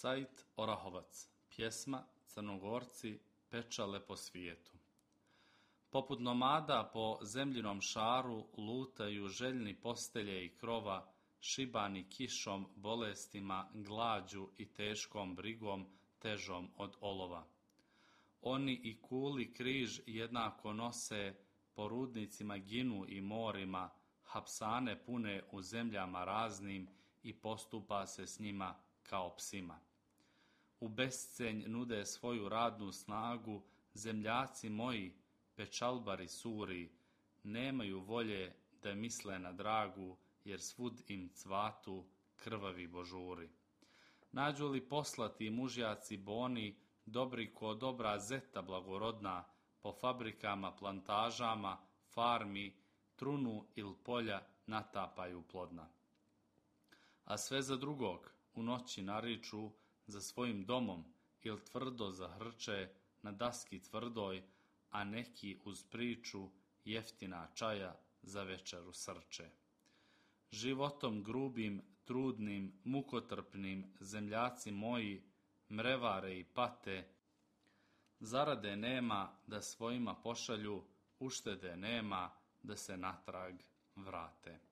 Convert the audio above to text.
Sajt Orahovac, pjesma Crnogorci pečale po svijetu. Poput nomada po zemljinom šaru lutaju željni postelje i krova, šibani kišom, bolestima, glađu i teškom brigom težom od olova. Oni i kuli križ jednako nose, po rudnicima ginu i morima, hapsane pune u zemljama raznim i postupa se s njima kao psima. U bescenj nude svoju radnu snagu zemljaci moji, pečalbari suri, nemaju volje da misle na dragu, jer svud im cvatu krvavi božuri. Nađu li poslati mužjaci boni, dobri ko dobra zeta blagorodna, po fabrikama, plantažama, farmi, trunu il polja natapaju plodna. A sve za drugog u noći nariču, za svojim domom il tvrdo zahrče na daski tvrdoj, a neki uz priču jeftina čaja za večeru srče. Životom grubim, trudnim, mukotrpnim zemljaci moji mrevare i pate, zarade nema da svojima pošalju, uštede nema da se natrag vrate.